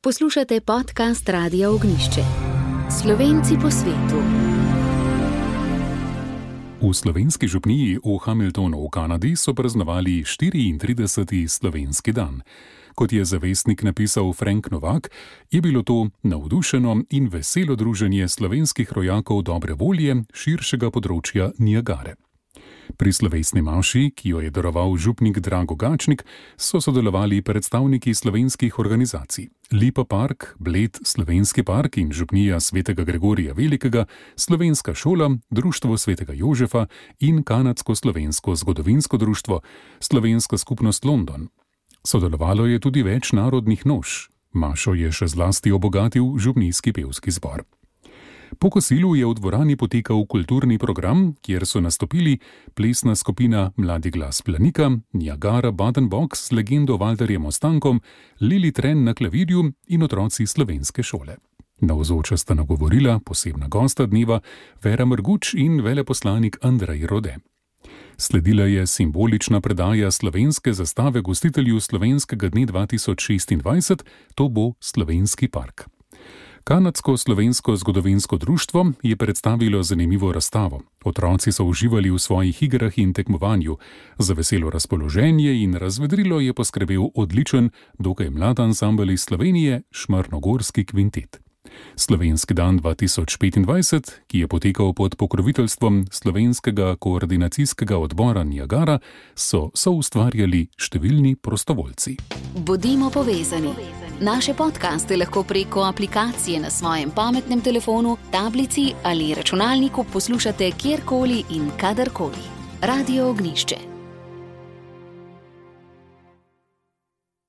Poslušate podcast Radia Ognjišče. Slovenci po svetu. V slovenski župniji v Hamiltonu v Kanadi so praznovali 34. slovenski dan. Kot je za Vestnik napisal Frank Novak, je bilo to navdušeno in veselo druženje slovenskih rojakov dobre volje širšega področja Niagare. Pri slovesni maši, ki jo je daroval župnik Drago Gačnik, so sodelovali predstavniki slovenskih organizacij Lipa Park, Bled Slovenski park in župnija Svetega Gregorija Velikega, Slovenska šola, Društvo Svetega Jožefa in Kanadsko-slovensko zgodovinsko društvo, Slovenska skupnost London. Sodelovalo je tudi več narodnih noš. Mašo je še zlasti obogatil župnijski pevski zbor. Po kosilu je v dvorani potekal kulturni program, kjer so nastopili plesna skupina Mladi glas Planika, Niagara Baden Box z legendo Valterjem Ostankom, Lili Tren na klavirju in otroci slovenske šole. Navzoča sta nagovorila posebna gosta dneva Vera Mrguč in veleposlanik Andrej Rode. Sledila je simbolična predaja slovenske zastave gostitelju slovenskega dne 2026, to bo Slovenski park. Kanadsko-slovensko zgodovinsko društvo je predstavilo zanimivo razstavo. Otroci so uživali v svojih igrah in tekmovanju. Za veselo razpoloženje in razvedrilo je poskrbel odličen, dokaj mlad ansambel iz Slovenije, Šmarnogorski kvintet. Slovenski dan 2025, ki je potekal pod pokroviteljstvom Slovenskega koordinacijskega odbora Niagara, so soustvarjali številni prostovoljci. Bodimo povezani. Naše podcaste lahko preko aplikacije na svojem pametnem telefonu, tablici ali računalniku poslušate kjerkoli in kadarkoli. Radio Ognjišče.